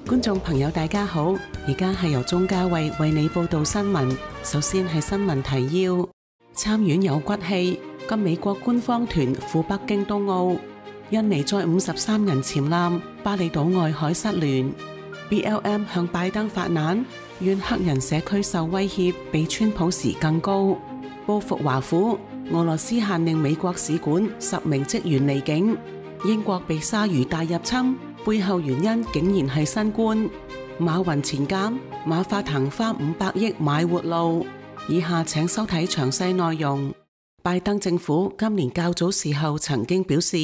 觀眾朋友大家好，而家係由鐘嘉慧為你報道新聞。首先係新聞提要：參院有骨氣，跟美國官方團赴北京冬奧。印尼載53人潛艦，巴厘島外海失聯。BLM 向拜登發難，願黑人社區受威脅比川普時更高。報復華府，俄羅斯限令美國使館10名職員離境。英國被鯊魚大入侵，背後原因竟然係新冠。馬雲前監，馬化騰花500億買活路。以下請收睇詳細內容。拜登政府今年較早時候曾經表示，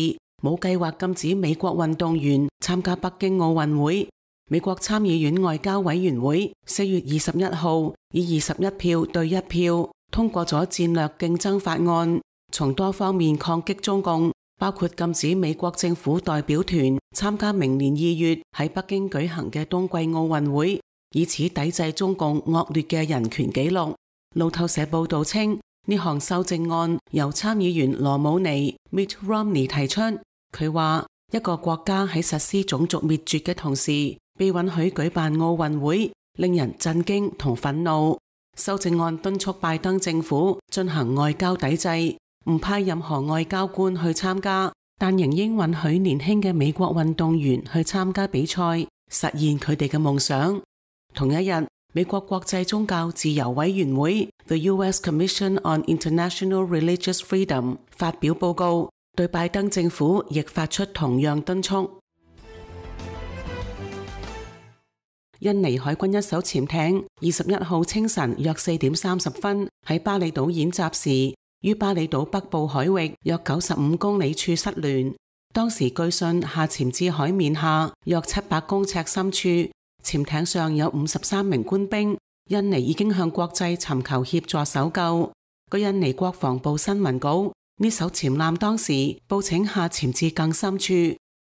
冇計劃禁止美國運動員參加北京奧運會。美國參議院外交委員會4月21號以21票對1票通過咗戰略競爭法案，從多方面抗擊中共，包括禁止美國政府代表團參加明年2月喺北京舉行嘅冬季奧運會，以此抵制中共惡劣嘅人權紀錄。路透社報道稱，呢項修正案由參議員羅姆尼 Mitt Romney 提出。佢話，一個國家喺實施種族滅絕嘅同時，被允許舉辦奧運會，令人震驚同憤怒。修正案敦促拜登政府進行外交抵制，唔派任何外交官去參加，但仍應允許年輕嘅美國運動員去參加比賽，實現佢哋嘅夢想。同一日，美國國際宗教自由委員會 The U.S. Commission on International Religious Freedom 發表報告，對拜登政府亦發出同樣敦促。印尼海軍一艘潛艇21號清晨約4點30分喺巴厘島演習時，於巴厘島北部海域約95公里處失聯。當時據信下潛至海面下約700公尺深處，潛艇上有53名官兵。印尼已經向國際尋求協助搜救。據印尼國防部新聞稿，呢艘潛艦當時報請下潛至更深處，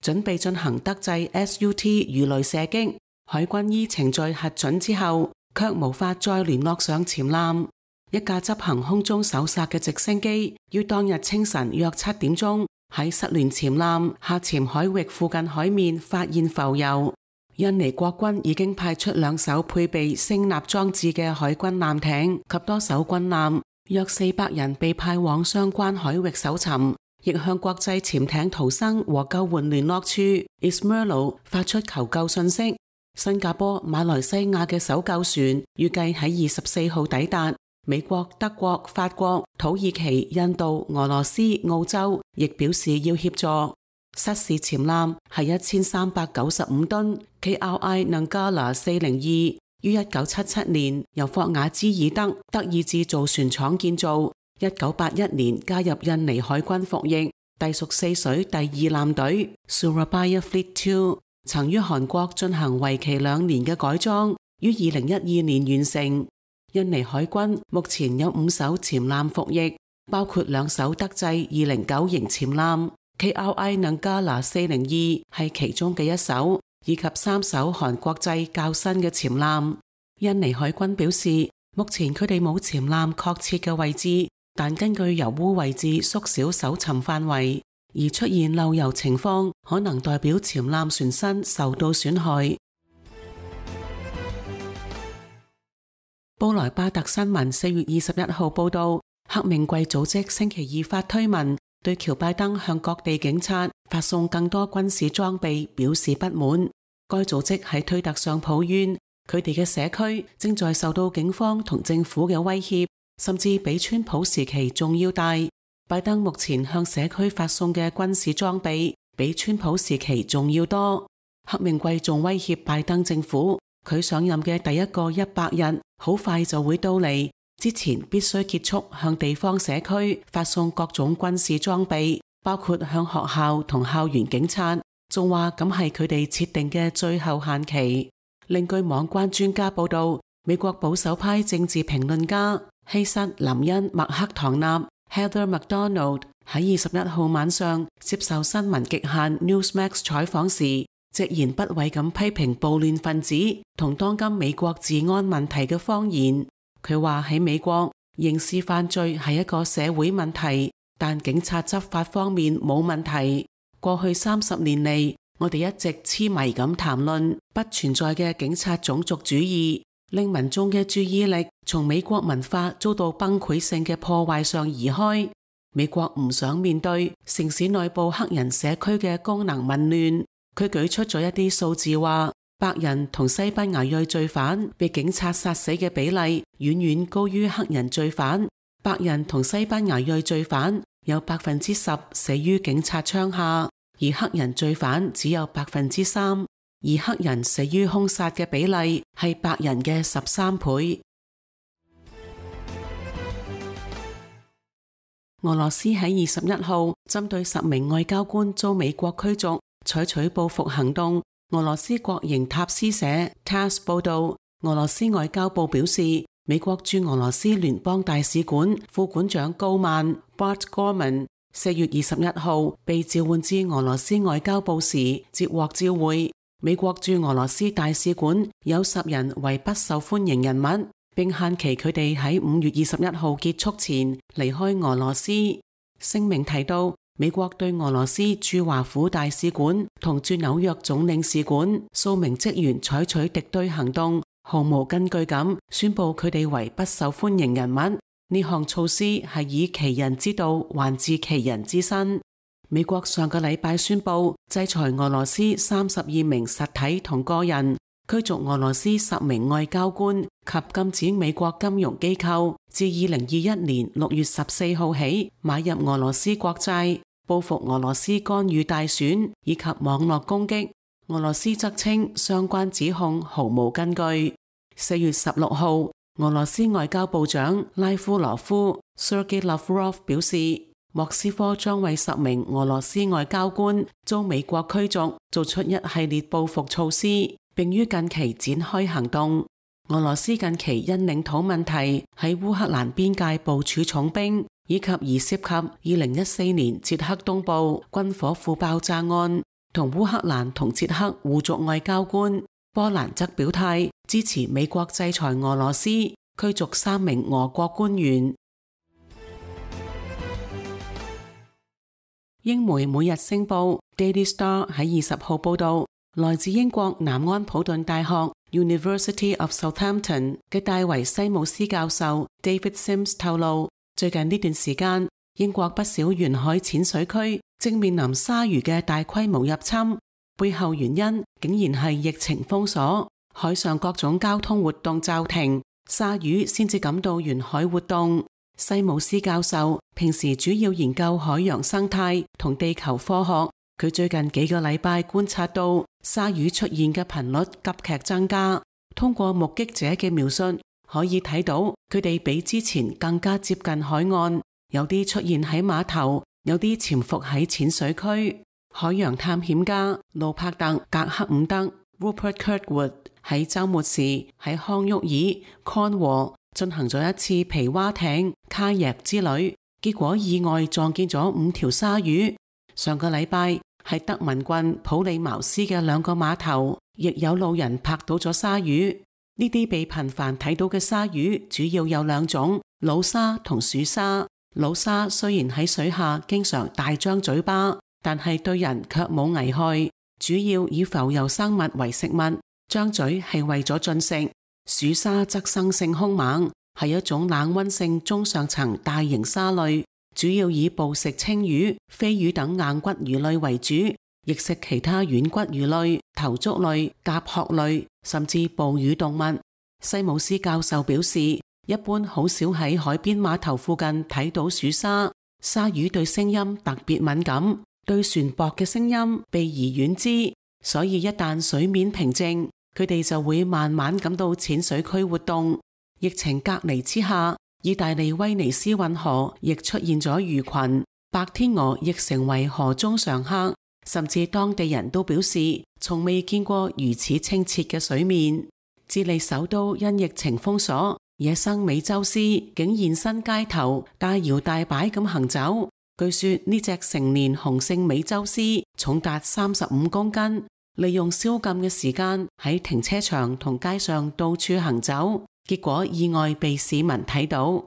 準備進行德製 SUT 魚雷射擊。海軍依程序核准之後，卻無法再聯絡上潛艦。一架執行空中搜索嘅直升機，於當日清晨約7點鐘喺失聯潛艦下潛海域附近海面發現浮游。印尼國軍已經派出2艘配備聲納裝置嘅海軍艦艇及多艘軍艦，約400人被派往相關海域搜尋，亦向國際潛艇逃生和救援聯絡處 ISMERLO 發出求救信息。新加坡、馬來西亞嘅搜救船預計喺24號抵達。美國、德國、法國、土耳其、印度、俄羅斯、澳洲亦表示要協助。失事潛艦係1395噸 KRI Nanggala 402，於1977年由霍雅茲爾德德意志造船廠建造，1981年加入印尼海軍服役，隸屬4水第2艦隊 Surabaya Fleet 2。曾於韓國進行為期2年嘅改裝，於2012年完成。印尼海軍目前有5艘潛艦服役，包括2艘德製209型潛艦 KRI Nanggala 402係其中嘅1艘，以及3艘韓國製較新嘅潛艦。印尼海軍表示，目前佢哋冇潛艦確切嘅位置，但根據油污位置縮小搜尋範圍。而出現漏油情況，可能代表潛艦船身受到損害。布萊巴特新聞4月21號報道，黑命貴組織星期2發推文，對喬拜登向各地警察發送更多軍事裝備表示不滿。該組織喺推特上抱怨，佢哋嘅社區正在受到警方同政府嘅威脅，甚至比川普時期仲要大。拜登目前向社區發送嘅軍事裝備比川普時期仲要多。黑命貴仲威脅拜登政府，佢上任嘅第一個100日好快就會到嚟，之前必須結束向地方社區發送各種軍事裝備，包括向學校同校園警察。仲話咁係佢哋設定嘅最後限期。另據網關專家報道，美國保守派政治評論家希瑟琳恩麥克唐納 Heather McDonald 喺21號晚上接受新聞極限 Newsmax 採訪時，直言不諱咁批評暴亂分子同當今美國治安問題嘅謊言。佢話喺美國，刑事犯罪係一個社會問題，但警察執法方面冇問題。過去30年嚟，我哋一直痴迷咁談論不存在嘅警察種族主義，令民眾嘅注意力從美國文化遭到崩潰性嘅破壞上移開。美國唔想面對城市內部黑人社區嘅功能紊亂。佢舉出咗一啲數字話，白人同西班牙裔罪犯被警察殺死嘅比例遠遠高於黑人罪犯。白人同西班牙裔罪犯有10%死於警察槍下，而黑人罪犯只有3%，而黑人死於兇殺嘅比例係白人嘅13倍。俄羅斯喺21號針對10名外交官遭美國驅逐，採取報復行動。俄羅斯國營塔斯社 TASS 報道，俄羅斯外交部表示，美國駐俄羅斯聯邦大使館副館長高曼 Bart Gorman 4月21號被召喚至俄羅斯外交部時接獲照會。美國駐俄羅斯大使館有10人為不受歡迎人物，並限期佢哋喺5月21號結束前離開俄羅斯。聲明提到，美國對俄羅斯駐華府大使館同駐紐約總領事館數名職員採取敵對行動，毫無根據咁宣布佢哋為不受歡迎人物。呢項措施係以其人之道還治其人之身。美國上個禮拜宣布制裁俄羅斯32名實體同個人，驅逐俄羅斯10名外交官及禁止美國金融機構自2021年6月14號起買入俄羅斯國債，報復俄羅斯干預大選以及網絡攻擊。俄羅斯則稱相關指控毫無根據。4月16號，俄羅斯外交部長拉夫羅夫 Sergei Lavrov 表示，莫斯科將為10名俄羅斯外交官遭美國驅逐做出一系列報復措施，並於近期展開行動。俄羅斯近期因領土問題喺烏克蘭邊界部署重兵，以及疑涉及2014年捷克東部軍火庫爆炸案，同烏克蘭同捷克互逐外交官。波蘭則表態支持美國制裁俄羅斯，驅逐3名俄國官員。英媒每日星報 Daily Star 喺20號報道，來自英國南安普頓大學 University of Southampton 嘅戴維西姆斯教授 David Sims 透露，最近呢段時間，英國不少沿海淺水區正面臨鯊魚嘅大規模入侵，背後原因竟然係疫情封鎖，海上各種交通活動驟停，鯊魚先至感到沿海活動。西姆斯教授平時主要研究海洋生態同地球科學，佢最近幾個禮拜觀察到鯊魚出現嘅頻率急劇增加。通過目擊者嘅描述，可以睇到佢哋比之前更加接近海岸，有啲出現喺碼頭，有啲潛伏喺淺水區。海洋探險家路柏特·格克伍德 Rupert Kirkwood 喺週末時喺康沃爾 Cornwall 進行咗一次皮划艇卡約之旅，結果意外撞見咗5條鯊魚。上個禮拜喺德文郡普利茅斯嘅2個碼頭，亦有路人拍到咗鯊魚。呢啲被頻繁睇到嘅鯊魚主要有2種，老鯊同鼠鯊。老鯊雖然喺水下經常大張嘴巴，但係對人卻冇危害，主要以浮游生物為食物，張嘴係為咗進食。鼠鯊則生性兇猛，係一種冷溫性中上層大型鯊類，主要以捕食青魚、飛魚等硬骨魚類為主，亦食其他軟骨魚類、頭足類、甲殼類，甚至哺乳動物。西姆斯教授表示，一般好少喺海邊碼頭附近睇到鼠鯊。鯊魚對聲音特別敏感，對船舶嘅聲音避而遠之，所以一旦水面平靜，佢哋就會慢慢感到淺水區活動。疫情隔離之下，意大利威尼斯運河亦出現咗魚群，白天鵝亦成為河中常客，甚至當地人都表示從未見過如此清澈嘅水面。智利首都因疫情封鎖，野生美洲獅竟現身街頭，大搖大擺咁行走。據說呢隻成年雄性美洲獅重達35公斤，利用宵禁嘅時間喺停車場同街上到處行走，結果意外被市民睇到。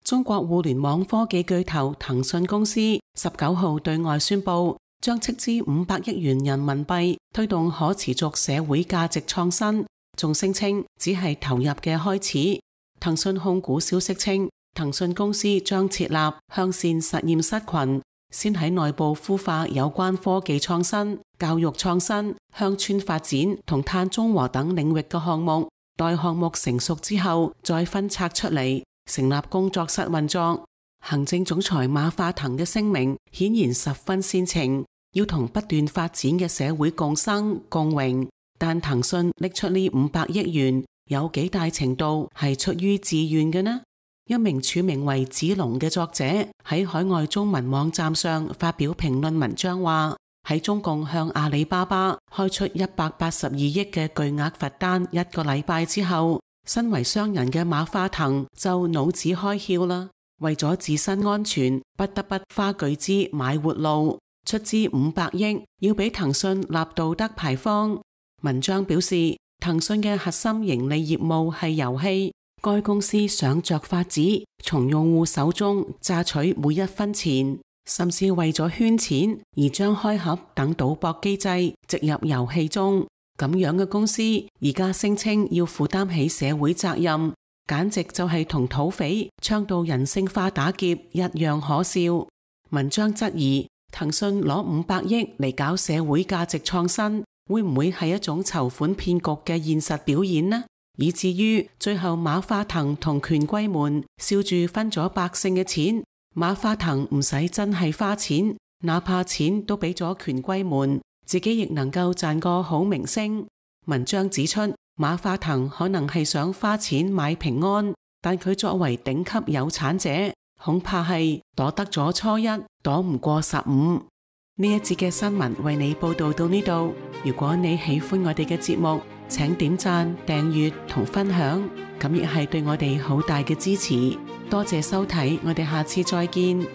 中國互聯網科技巨頭騰訊公司19號對外宣布，將斥資500億元人民幣推動可持續社會價值創新，仲聲稱只係投入嘅開始。騰訊控股消息稱，騰訊公司將設立向善實驗室群，先喺內部孵化有關科技創新、教育創新、鄉村發展同碳中和等領域嘅項目，待項目成熟之後再分拆出嚟，成立工作室運作。行政總裁馬化騰嘅聲明顯然十分煽情，要同不斷發展嘅社會共生共榮。但騰訊拎出呢500億元，有幾大程度係出於自願嘅呢？一名署名為子龍嘅作者喺海外中文網站上發表評論文章話，喺中共向阿里巴巴開出182億嘅巨額罰單1個禮拜之後，身為商人嘅馬化騰就腦子開竅啦，為咗自身安全，不得不花巨資買活路，出資500億要俾騰訊立道德牌坊。文章表示，騰訊嘅核心盈利業務係遊戲，該公司想着法子從用戶手中榨取每一分錢，甚至為咗圈錢而將開盒等賭博機制植入遊戲中。咁樣嘅公司而家聲稱要負擔起社會責任，簡直就係同土匪倡導人性化打劫一樣可笑。文章質疑，騰訊攞500億嚟搞社會價值創新，會唔會係一種籌款騙局嘅現實表演呢？以至於最後馬化騰同權貴們笑住分咗百姓嘅錢，馬化騰唔使真係花錢，哪怕錢都俾咗權貴們，自己亦能夠賺個好名聲。文章指出，馬化騰可能係想花錢買平安，但佢作為頂級有產者，恐怕係躲得咗初一，躲唔過15。呢一節嘅新聞為你報道到呢度。如果你喜歡我哋嘅節目，請點讚、訂閱同分享，咁亦係對我哋好大嘅支持。多謝收睇，我哋下次再見。